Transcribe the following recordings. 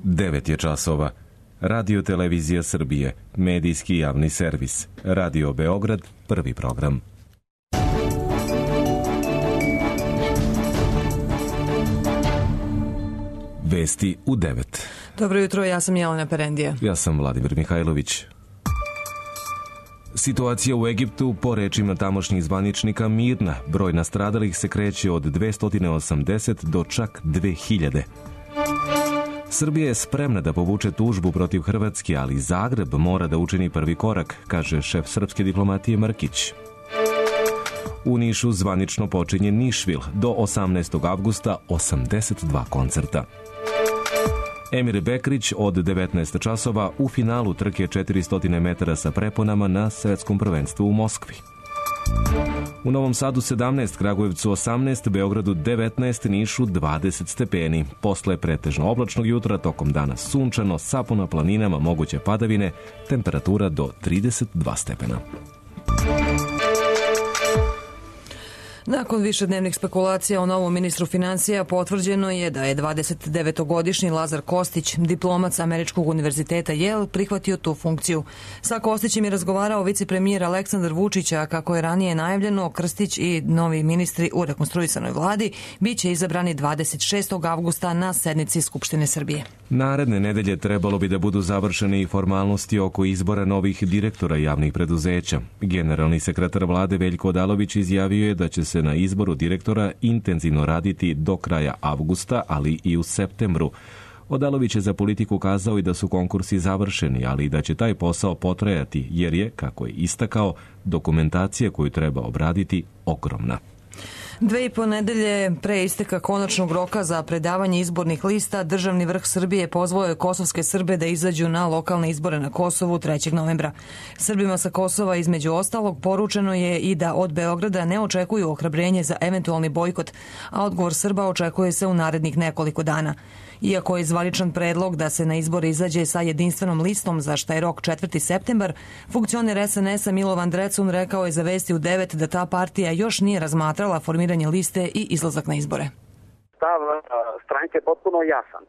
9 je časova. Radio Televizija Srbije, medijski javni servis. Radio Beograd, prvi program. Vesti u 9. Dobro jutro, ja sam Jelena Perendija. Ja sam Vladimir Mihajlović. Situacija u Egiptu, po rečima tamošnjih zvaničnika, mirna. Broj nastradalih se kreće od 280 do čak 2000. Srbija je spremna da povuče tužbu protiv Hrvatske, ali Zagreb mora da učini prvi korak, kaže šef srpske diplomatije Mrkić. U Nišu zvanično počinje Nišvil, do 18. avgusta 82 koncerta. Emir Bekrić od 19 časova u finalu trke 400 metara sa preponama na svetskom prvenstvu u Moskvi. U Novom Sadu 17, Kragujevcu 18, Beogradu 19, Nišu 20 stepeni. Posle pretežno oblačnog jutra, tokom dana sunčano, sapo na planinama, moguće padavine, temperatura do 32 stepena. Nakon višednevnih spekulacija o novom ministru finansija potvrđeno je da je 29-godišnji Lazar Kostić, diplomat sa Američkog univerziteta Yale, prihvatio tu funkciju. Sa Kostićem je razgovarao vicepremijer Aleksandar Vučić, a kako je ranije najavljeno, Krstić i novi ministri u rekonstruisanoj vladi biće izabrani 26. avgusta na sednici Skupštine Srbije. Naredne nedelje trebalo bi da budu završene i formalnosti oko izbora novih direktora javnih preduzeća. Generalni sekretar vlade Veljko Odalović izjavio je da će se na izboru direktora intenzivno raditi do kraja avgusta, ali i u septembru. Odalović je za Politiku kazao i da su konkursi završeni, ali i da će taj posao potrajati, jer je, kako je istakao, dokumentacija koju treba obraditi ogromna. 2,5 nedelje pre isteka konačnog roka za predavanje izbornih lista, državni vrh Srbije pozvao je kosovske Srbe da izađu na lokalne izbore na Kosovu 3. novembra. Srbima sa Kosova, između ostalog, poručeno je i da od Beograda ne očekuju ohrabrenje za eventualni bojkot, a odgovor Srba očekuje se u narednih nekoliko dana. Iako je zvaničan predlog da se na izbore izađe sa jedinstvenom listom, za šta je rok 4. septembar, funkcioner SNS-a Milovan Drecun rekao je za Vesti u 9 da ta partija još nije razmatrala formiranje liste i izlazak na izbore. Stav stranke je potpuno jasan.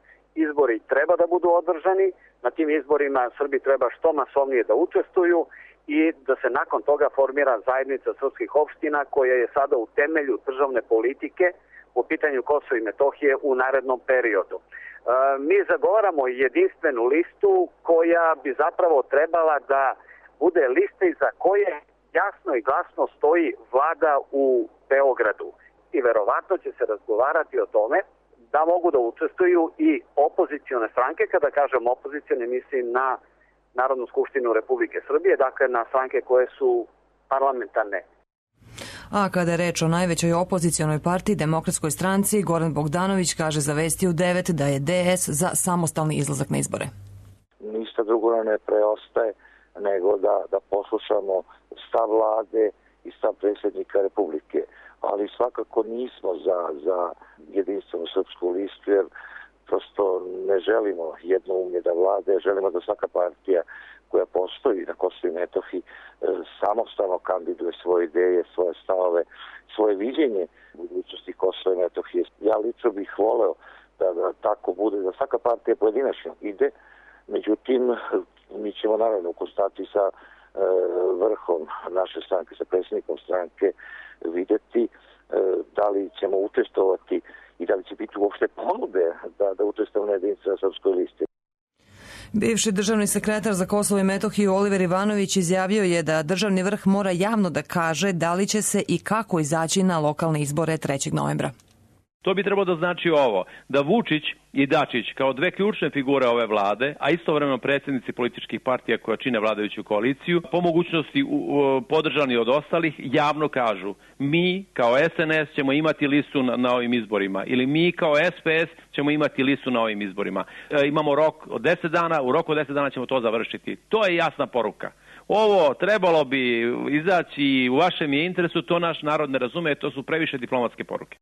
Izbori treba da budu održani, na tim izborima Srbi treba što masovnije da učestvuju i da se nakon toga formira zajednica srpskih opština koja je sada u temelju državne politike po pitanju Kosova i Metohije u narednom periodu. Mi zagovaramo jedinstvenu listu koja bi zapravo trebala da bude lista iza koje jasno i glasno stoji vlada u Beogradu. I verovatno će se razgovarati o tome da mogu da učestvuju i opozicione stranke. Kada kažem opozicione, mislim na Narodnu skupštinu Republike Srbije, dakle na stranke koje su parlamentarne. A kada je reč o najvećoj opozicionoj partiji, Demokratskoj stranci, Goran Bogdanović kaže za Vesti u 9 da je DS za samostalni izlazak na izbore. Ništa drugo ne preostaje nego da poslušamo stav vlade i stav predsjednika Republike. Ali svakako nismo za jedinstvenu srpsku listu, jer prosto ne želimo jednoumlje da vlade, želimo da svaka partija koja postoji na Kosovu i Metohiji samostalno kandiduje svoje ideje, svoje stavove, svoje viđenje budućnosti Kosova i Metohije. Ja lično bih voleo da tako bude, da svaka partija pojedinačno ide, međutim mi ćemo naravno u konstantaciji sa vrhom naše stranke, sa predsjednikom stranke vidjeti da li ćemo učestvovati i da li će biti uopšte ponude da učestvujemo na jedinstvenoj srpskoj listi. Bivši državni sekretar za Kosovo i Metohiju Oliver Ivanović izjavio je da državni vrh mora javno da kaže da li će se i kako izaći na lokalne izbore 3. novembra. To bi trebalo da znači ovo, da Vučić i Dačić kao dve ključne figure ove vlade, a istovremeno predsjednici političkih partija koja čine vladajuću koaliciju, po mogućnosti podržani od ostalih, javno kažu mi kao SNS ćemo imati listu na ovim izborima ili mi kao SPS ćemo imati listu na ovim izborima. Imamo rok od 10 dana, u roku od 10 dana ćemo to završiti. To je jasna poruka. Ovo trebalo bi izaći u vašem je interesu, to naš narod ne razume, to su previše diplomatske poruke.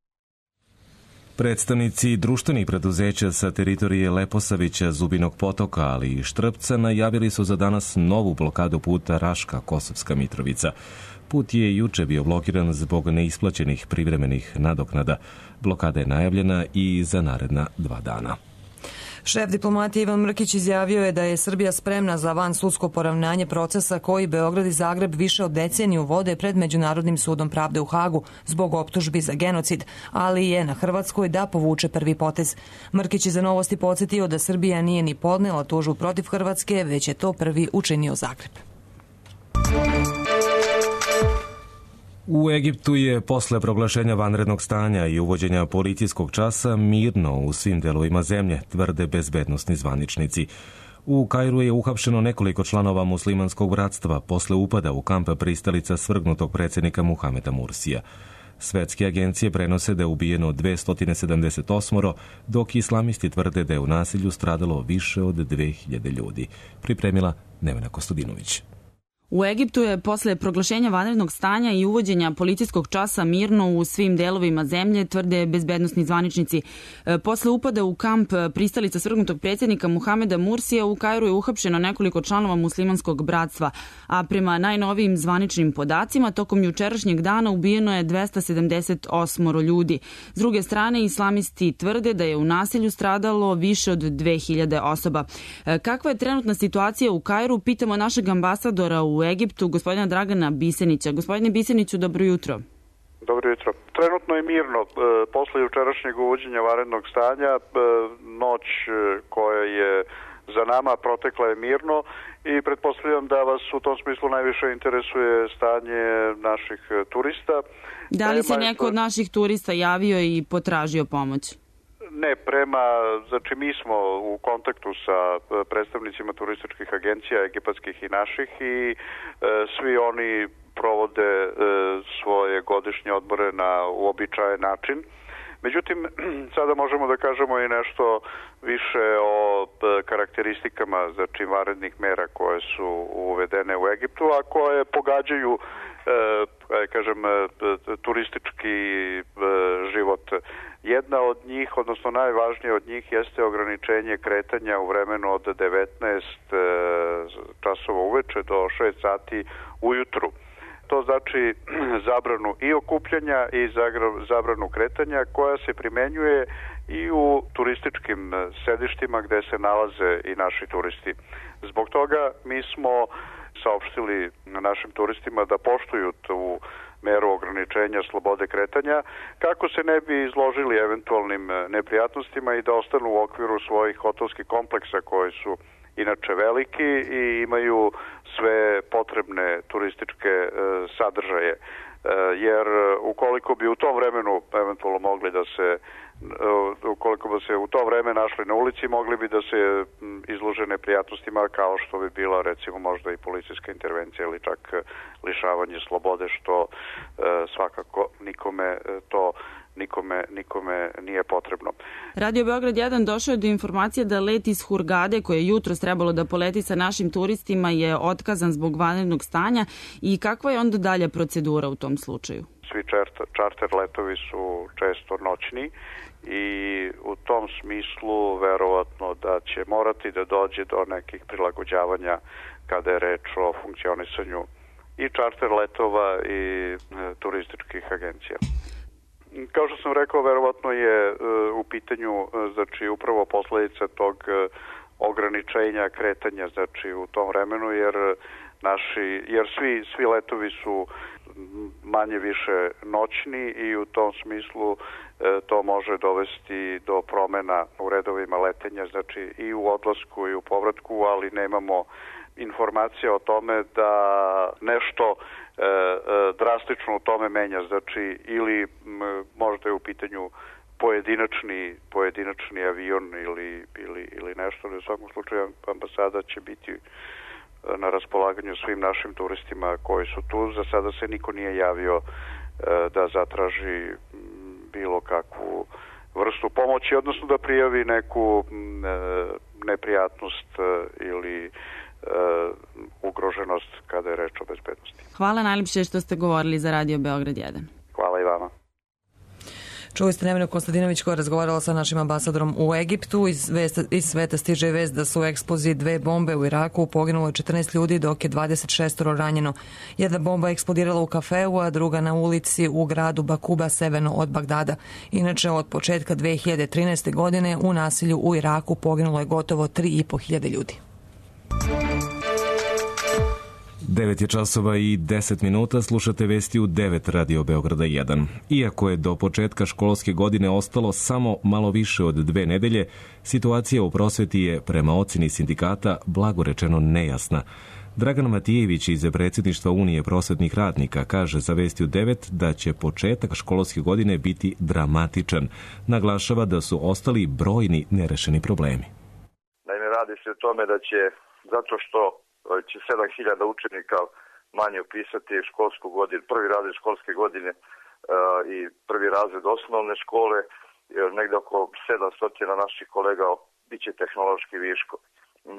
Predstavnici društvenih preduzeća sa teritorije Leposavića, Zubinog Potoka, ali i Štrpca najavili su za danas novu blokadu puta Raška-Kosovska Mitrovica. Put je juče bio blokiran zbog neisplaćenih privremenih nadoknada. Blokada je najavljena i za naredna 2 dana. Šef diplomatije Ivan Mrkić izjavio je da je Srbija spremna za vansudsko poravnanje procesa koji Beograd i Zagreb više od deceniju vode pred Međunarodnim sudom pravde u Hagu zbog optužbi za genocid, ali je na Hrvatskoj da povuče prvi potez. Mrkić je za Novosti podsjetio da Srbija nije ni podnela tužbu protiv Hrvatske, već je to prvi učinio Zagreb. U Egiptu je posle proglašenja vanrednog stanja i uvođenja policijskog časa mirno u svim delovima zemlje, tvrde bezbednosni zvaničnici. U Kairu je uhapšeno nekoliko članova muslimanskog bratstva posle upada u kamp pristalica svrgnutog predsjednika Muhameda Mursija. Svetske agencije prenose da je ubijeno 278, dok islamisti tvrde da je u nasilju stradalo više od 2000 ljudi. Pripremila Nevena Kostadinović. U Egiptu je posle proglašenja vanrednog stanja i uvođenja policijskog časa mirno u svim delovima zemlje, tvrde bezbednosni zvaničnici. Posle upada u kamp pristalica svrgnutog predsjednika Muhameda Mursija u Kairu je uhapšeno nekoliko članova muslimanskog bratstva, a prema najnovijim zvaničnim podacima tokom jučerašnjeg dana ubijeno je 278 ljudi. S druge strane, islamisti tvrde da je u nasilju stradalo više od 2000 osoba. Kakva je trenutna situacija u Kairu, pitamo našeg ambasadora u Egiptu, gospodina Dragana Bisenića. Gospodine Biseniću, dobro jutro. Dobro jutro. Trenutno je mirno. Posle jučerašnjeg uvođenja vanrednog stanja, noć koja je za nama protekla je mirno i pretpostavljam da vas u tom smislu najviše interesuje stanje naših turista. Da li se neko od naših turista javio i potražio pomoć? Ne, znači mi smo u kontaktu sa predstavnicima turističkih agencija, egipatskih i naših, i svi oni provode svoje godišnje odmore na uobičajen način. Međutim, sada možemo da kažemo i nešto više o karakteristikama, znači vanrednih mera koje su uvedene u Egiptu, a koje pogađaju turistički život. Jedna od njih, odnosno najvažnija od njih, jeste ograničenje kretanja u vremenu od 19 časova uveče do 6 sati ujutru. To znači zabranu i okupljanja i zabranu kretanja koja se primenjuje i u turističkim sedištima gde se nalaze i naši turisti. Zbog toga mi smo saopštili našim turistima da poštuju tu meru ograničenja slobode kretanja kako se ne bi izložili eventualnim neprijatnostima i da ostanu u okviru svojih hotelskih kompleksa koji su inače veliki i imaju sve potrebne turističke sadržaje. Jer ukoliko bi u tom vremenu eventualno mogli da se ukoliko bi se u to vreme našli na ulici, mogli bi da se izlože neprijatnostima kao što bi bila recimo možda i policijska intervencija ili čak lišavanje slobode, što svakako nikome nije potrebno. Radio Beograd 1 došao je do informacije da let iz Hurgade, koje je jutros trebalo da poleti sa našim turistima, je otkazan zbog vanrednog stanja. I kakva je onda dalja procedura u tom slučaju? Svi čarter letovi su često noćni i u tom smislu verovatno da će morati da dođe do nekih prilagođavanja kada je reč o funkcionisanju i čarter letova i turističkih agencija. Kao što sam rekao, verovatno je u pitanju znači upravo posledica tog ograničenja kretanja znači u tom vremenu, jer svi letovi su manje više noćni i u tom smislu to može dovesti do promena u redovima letenja, znači i u odlasku i u povratku, ali nemamo informacija o tome da nešto drastično u tome menja, znači ili možda je u pitanju pojedinačni avion ili nešto, ali u svakom slučaju ambasada će biti na raspolaganju svim našim turistima koji su tu. Za sada se niko nije javio da zatraži bilo kakvu vrstu pomoći, odnosno da prijavi neku neprijatnost ili ugroženost kada je reč o bezbednosti. Hvala najljepše što ste govorili za Radio Beograd 1. Hvala i vama. Čuli ste Nevenu Konstantinović koja je razgovarala sa našim ambasadorom u Egiptu. Iz sveta stiže vest da su u eksploziji 2 bombe u Iraku poginulo 14 ljudi, dok je 26 ranjeno. Jedna bomba eksplodirala u kafeu, a druga na ulici u gradu Bakuba severno od Bagdada. Inače, od početka 2013. godine u nasilju u Iraku poginulo je gotovo 3.500 ljudi. 9 je časova i 10 minuta, slušate vesti u 9 Radio Beograda 1. Iako je do početka školske godine ostalo samo malo više od 2 nedelje, situacija u prosveti je, prema ocjeni sindikata, blago rečeno nejasna. Dragan Matijević iz predsjedništva Unije prosvetnih radnika kaže za vesti u 9 da će početak školske godine biti dramatičan. Naglašava da su ostali brojni nerešeni problemi. Naime, radi se o tome da će, zato što će 7.000 učenika manje upisati školsku godinu, prvi razred školske godine i prvi razred osnovne škole, negde oko 700 naših kolega biće tehnološki viško.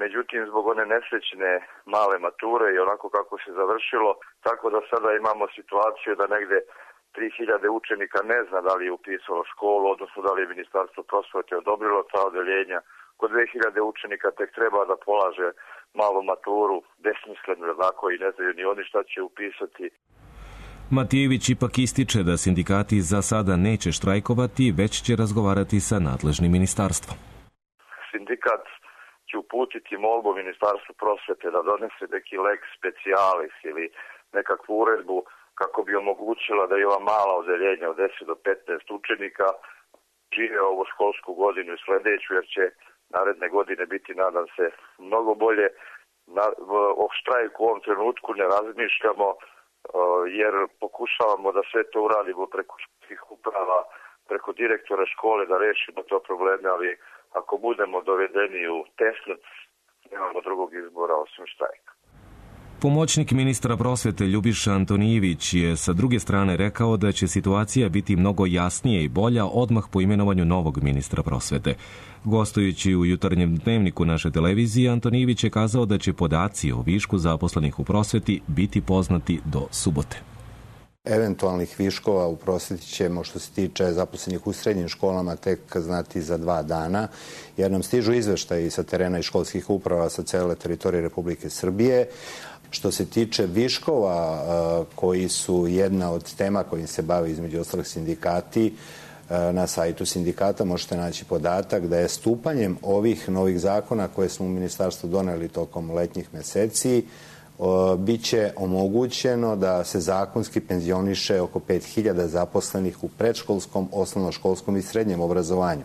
Međutim, zbog one nesrećne male mature i onako kako se završilo, tako da sada imamo situaciju da negde 3.000 učenika ne zna da li je upisalo školu, odnosno da li je Ministarstvo prosvete odobrilo ta odeljenja. Kod 2.000 učenika tek treba da polaže malu maturu, besmisleno, tako, i ne znaju ni oni šta će upisati. Matijević ipak ističe da sindikati za sada neće štrajkovati, već će razgovarati sa nadležnim ministarstvom. Sindikat će uputiti molbu Ministarstvu prosvete da donese neki lex specialis ili nekakvu uredbu kako bi omogućila da i ova mala odeljenja od 10 do 15 učenika žive ovu školsku godinu i sledeću, jer će naredne godine biti, nadam se, mnogo bolje. O štrajku u ovom trenutku ne razmišljamo, jer pokušavamo da sve to uradimo preko školskih uprava, preko direktora škole da rešimo to probleme, ali ako budemo dovedeni u tesnac, nemamo drugog izbora osim štrajka. Pomoćnik ministra prosvete Ljubiša Antonijević je sa druge strane rekao da će situacija biti mnogo jasnije i bolja odmah po imenovanju novog ministra prosvete. Gostujući u jutarnjem dnevniku naše televizije, Antonijević je kazao da će podaci o višku zaposlenih u prosveti biti poznati do subote. Eventualnih viškova u prosveti ćemo, što se tiče zaposlenih u srednjim školama, tek znati za 2 dana, jer nam stižu izveštaji sa terena i školskih uprava sa cele teritorije Republike Srbije. Što se tiče viškova koji su jedna od tema kojim se bave između ostalih sindikati, na sajtu sindikata možete naći podatak da je stupanjem ovih novih zakona koje smo u ministarstvu doneli tokom letnjih meseci biće omogućeno da se zakonski penzioniše oko 5.000 zaposlenih u predškolskom, osnovnoškolskom i srednjem obrazovanju.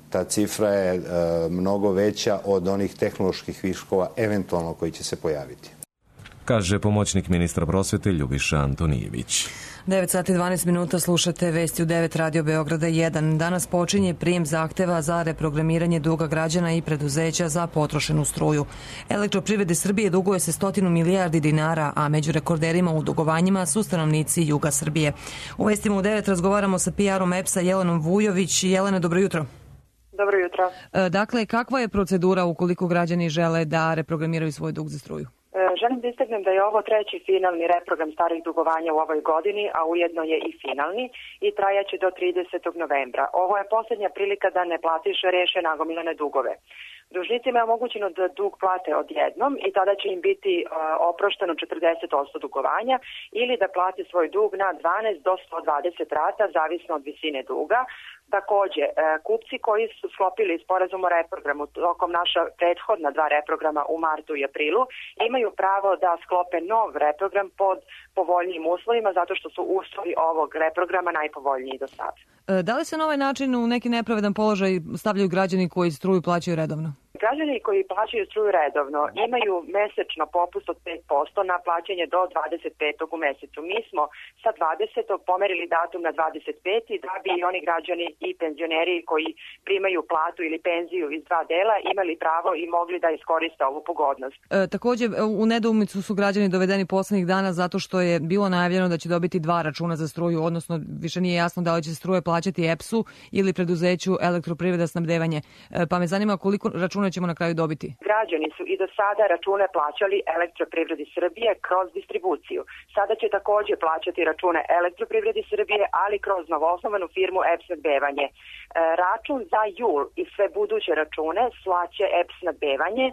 Ta cifra je mnogo veća od onih tehnoloških viškova eventualno koji će se pojaviti, kaže pomoćnik ministra prosvete Ljubiša Antonijević. 9 sati 12 minuta, slušate vesti u 9 Radio Beograda 1. Danas počinje prijem zahteva za reprogramiranje duga građana i preduzeća za potrošenu struju. Elektroprivrede Srbije duguje se 100 milijardi dinara, a među rekorderima u dugovanjima su stanovnici juga Srbije. U vestima u 9 razgovaramo sa PR-om EPS-a Jelenom Vujović. Jelena, dobro jutro. Dobro jutro. Dakle, kakva je procedura ukoliko građani žele da reprogramiraju svoj dug za struju? Želim da istaknem da je ovo 3. finalni reprogram starih dugovanja u ovoj godini, a ujedno je i finalni i trajaće do 30. novembra. Ovo je posljednja prilika da ne platiš reše nagomilane dugove. Dužnicima je omogućeno da dug plate odjednom i tada će im biti oprošteno 40% dugovanja ili da plate svoj dug na 12 do 120 rata, zavisno od visine duga. Takođe, kupci koji su sklopili sporazum o reprogramu tokom naša prethodna 2 reprograma u martu i aprilu imaju pravo da sklope nov reprogram pod povoljnijim uslovima zato što su uslovi ovog reprograma najpovoljniji do sada. Da li se na ovaj način u neki nepravedan položaj stavljaju građani koji struju plaćaju redovno? Građani koji plaćaju struju redovno imaju mesečno popust od 5% na plaćanje do 25. u mesecu. Mi smo sa 20. pomerili datum na 25. da bi i oni građani i penzioneri koji primaju platu ili penziju iz 2 dela imali pravo i mogli da iskoriste ovu pogodnost. Takođe, u nedoumicu su građani dovedeni poslednjih dana zato što je bilo najavljeno da će dobiti 2 računa za struju, odnosno više nije jasno da li će struje plaćati EPS-u ili preduzeću Elektroprivreda snabdevanje. Pa me zanima koliko računa će ćemo na kraju dobiti? Građani su i do sada račune plaćali Elektroprivredi Srbije kroz distribuciju. Sada će takođe plaćati račune Elektroprivredi Srbije, ali kroz novoosnovanu firmu EPS snabdevanje. Račun za jul i sve buduće račune slaće EPS snabdevanje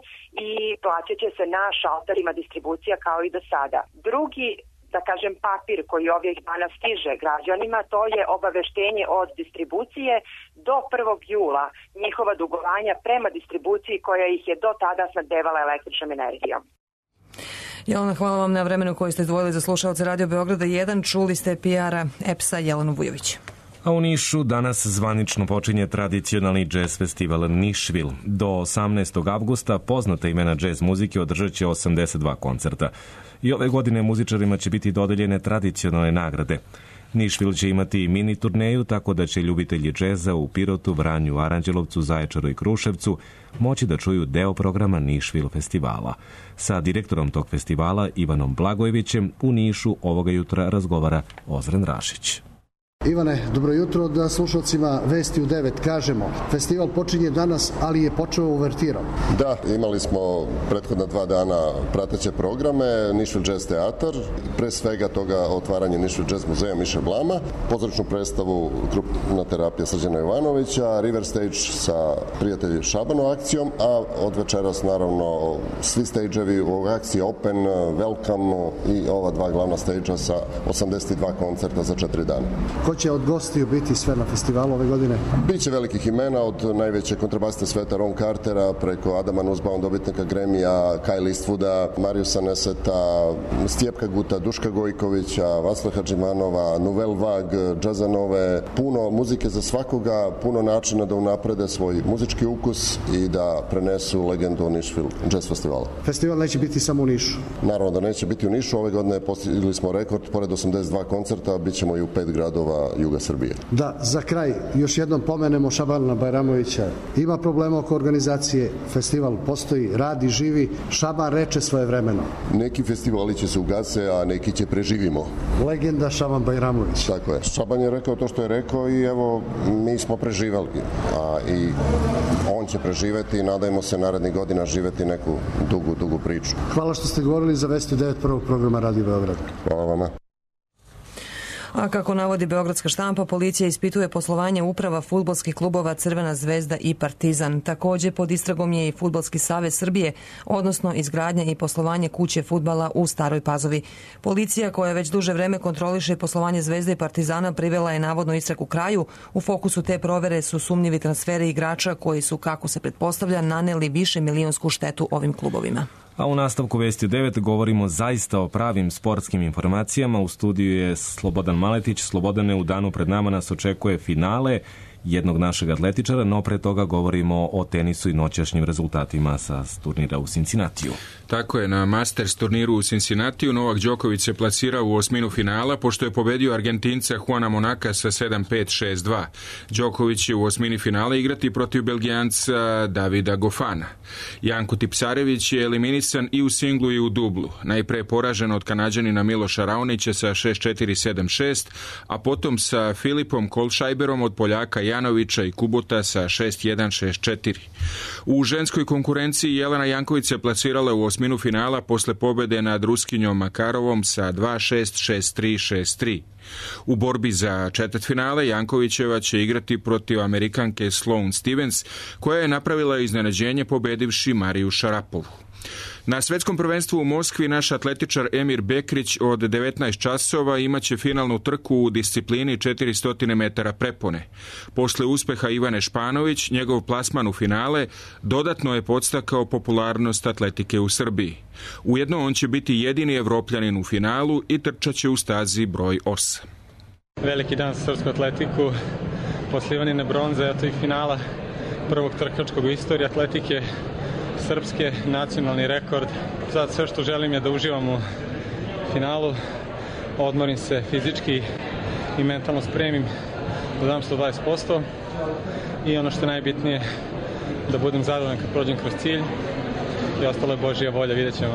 i plaćat će se na šalterima distribucija kao i do sada. Drugi, da kažem, papir koji ovih dana stiže građanima, to je obaveštenje od distribucije do 1. jula njihova dugovanja prema distribuciji koja ih je do tada snabdevala električnom energijom. Jelena, hvala vam na vremenu koji ste izdvojili za slušalce Radio Beograda 1. Čuli ste PR-a EPS-a Jelenu Vujović. A u Nišu danas zvanično počinje tradicionalni džez festival Nišvil. Do 18. avgusta poznata imena džez muzike održat će 82 koncerta. I ove godine muzičarima će biti dodeljene tradicionalne nagrade. Nišvil će imati mini turneju, tako da će ljubitelji džeza u Pirotu, Vranju, Aranđelovcu, Zaječaru i Kruševcu moći da čuju deo programa Nišvil festivala. Sa direktorom tog festivala, Ivanom Blagojevićem, u Nišu ovoga jutra razgovara Ozren Rašić. Ivane, dobro jutro. Da slušalcima Vesti u 9 kažemo. Festival počinje danas, ali je počeo uvertirom. Da, imali smo prethodna 2 dana prateće programe, Nišvil Jazz Teatar, pre svega toga otvaranje Nišvil Jazz muzeja Miše Blama, pozorišnu predstavu Krupna terapija Srđana Jovanovića, River Stage sa prijatelji Šabano akcijom, a od večeras naravno svi stage-evi u akciji Open, Welcome i ova 2 glavna stage-a sa 82 koncerta za 4 dana. Ko će od gostiju biti sve na festivalu ove godine? Biće velikih imena, od najveće kontrabasiste sveta Ron Cartera, preko Adama Nussbaum, dobitnika Grammy-a, Kyle Eastwooda, Mariusa Neseta, Stjepka Guta, Duška Gojkovića, Vasla Hadžimanova, Nouvelle Vague, Džazanove, puno muzike za svakoga, puno načina da unaprede svoj muzički ukus i da prenesu legendu Nišvil Jazz Festivala. Festival neće biti samo u Nišu? Naravno da neće biti u Nišu, ove godine postigli smo rekord, pored 82 koncerta, bit ćemo i u 5 gradova juga Srbije. Da, za kraj još jednom pomenemo Šabana Bajramovića. Ima problema oko organizacije, festival postoji, radi, živi, Šaban reče svoje vremeno. Neki festivali će se ugase, a neki će preživimo. Legenda Šaban Bajramović. Tako je. Šaban je rekao to što je rekao i evo, mi smo preživali. I on će preživeti i nadajmo se narednih godina živeti neku dugu priču. Hvala što ste govorili za Vesti 9 prvog programa Radio Beograd. Hvala vama. A kako navodi beogradska štampa, policija ispituje poslovanje uprava fudbalskih klubova Crvena zvezda i Partizan. Takođe pod istragom je i Fudbalski savez Srbije, odnosno izgradnja i poslovanje kuće fudbala u Staroj Pazovi. Policija, koja već duže vreme kontroliše poslovanje Zvezde i Partizana, privela je navodno istragu kraju. U fokusu te provere su sumnjivi transferi igrača koji su, kako se pretpostavlja, naneli više milionsku štetu ovim klubovima. A u nastavku Vesti 9 govorimo zaista o pravim sportskim informacijama. U studiju je Slobodan Maletić. Slobodane, u danu pred nama nas očekuje finale jednog našeg atletičara, no pre toga govorimo o tenisu i noćašnjim rezultatima sa turnira u Cincinnatiju. Tako je, na Masters turniru u Cincinnatiju Novak Đoković se plasirao u osminu finala pošto je pobedio Argentinca Juana Monaka sa 7-5, 6-2. Đoković će u osmini finala igrati protiv Belgijanca Davida Gofana. Janko Tipsarević je eliminisan i u singlu i u dublu. Najpre poražen od Kanađanina Miloša Raonića sa 6-4, 7-6, a potom sa Filipom Kolšajberom od Poljaka Janovića i Kubota sa 6-1, 6-4. U ženskoj konkurenciji Jelena Janković se plasirala u osminu finala posle pobede nad Ruskinjom Makarovom sa 2-6, 6-3, 6-3. U borbi za četvrtfinale Jankovićeva će igrati protiv Amerikanke Sloane Stevens, koja je napravila iznenađenje pobedivši Mariju Šarapovu. Na svetskom prvenstvu u Moskvi naš atletičar Emir Bekrić od 19 časova imaće finalnu trku u disciplini 400 metara prepone. Posle uspeha Ivane Španović, njegov plasman u finale dodatno je podstakao popularnost atletike u Srbiji. Ujedno on će biti jedini Evropljanin u finalu i trčaće u stazi broj 8. Veliki dan za srpsku atletiku, posle Ivanine bronze, eto i finala prvog trkačkog u istoriji atletike srpske, nacionalni rekord. Sad sve što želim je da uživam u finalu, odmorim se fizički i mentalno spremim, da dam 120% i ono što je najbitnije, da budem zadovoljan kad prođem kroz cilj i ostalo je Božja volja, vidjet ćemo.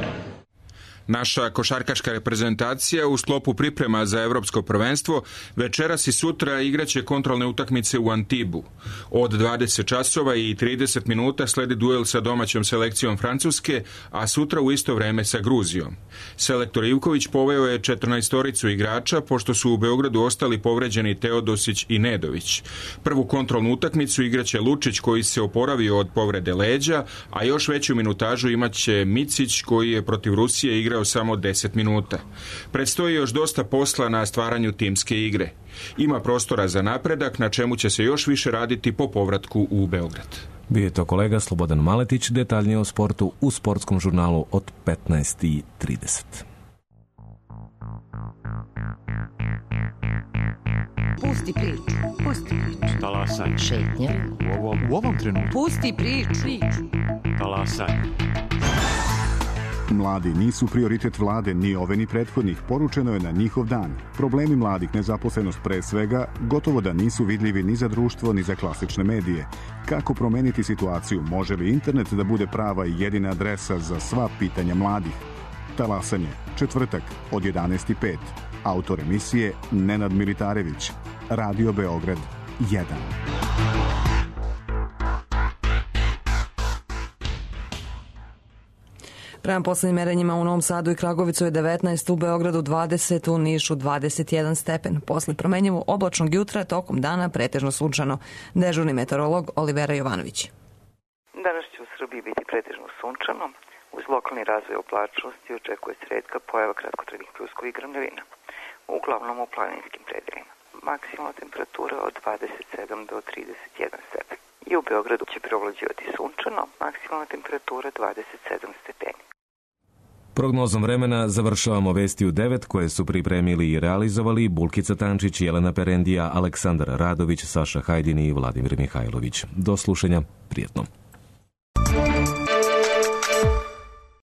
Naša košarkaška reprezentacija u sklopu priprema za evropsko prvenstvo večeras i sutra igraće kontrolne utakmice u Antibu. Od 20 časova i 30 minuta sledi duel sa domaćom selekcijom Francuske, a sutra u isto vreme sa Gruzijom. Selektor Ivković poveo je 14 igrača, pošto su u Beogradu ostali povređeni Teodosić i Nedović. Prvu kontrolnu utakmicu igraće Lučić, koji se oporavio od povrede leđa, a još veću minutažu imaće Micić, koji je protiv Rusije igrao samo 10 minuta. Predstoji još dosta posla na stvaranju timske igre. Ima prostora za napredak, na čemu će se još više raditi po povratku u Beograd. Bio je to kolega Slobodan Maletić, detaljnije o sportu u sportskom žurnalu od 15:30. Pusti priču. Pusti priču. Talasaj. Šetnja. U ovom trenutku. Pusti priču. Talasaj. Mladi nisu prioritet vlade, ni ove ni prethodnih, poručeno je na njihov dan. Problemi mladih, nezaposlenost pre svega, gotovo da nisu vidljivi ni za društvo, ni za klasične medije. Kako promeniti situaciju? Može li internet da bude prava i jedina adresa za sva pitanja mladih? Talasanje, četvrtak od 11:05. Autor emisije Nenad Militarević. Radio Beograd 1. Prema poslednjim merenjima u Novom Sadu i Kragovicu je 19, u Beogradu 20, u Nišu 21 stepen. Posle promenjivo oblačnog jutra, tokom dana pretežno sunčano. Dežurni meteorolog Olivera Jovanović. Danas će u Srbiji biti pretežno sunčano. Uz lokalni razvoj oblačnosti očekuje se retka pojava kratkotrajnih pljuskovih grmljavina, uglavnom u planinskim predelima. Maksimalna temperatura od 27 do 31 stepen. I u Beogradu će preovlađivati sunčano, maksimalna temperatura 27 stepeni. Prognozom vremena završavamo vesti u 9 koje su pripremili i realizovali Bulkica Tančić, Jelena Perendija, Aleksandar Radović, Saša Hajdini i Vladimir Mihajlović. Do slušanja, prijetno.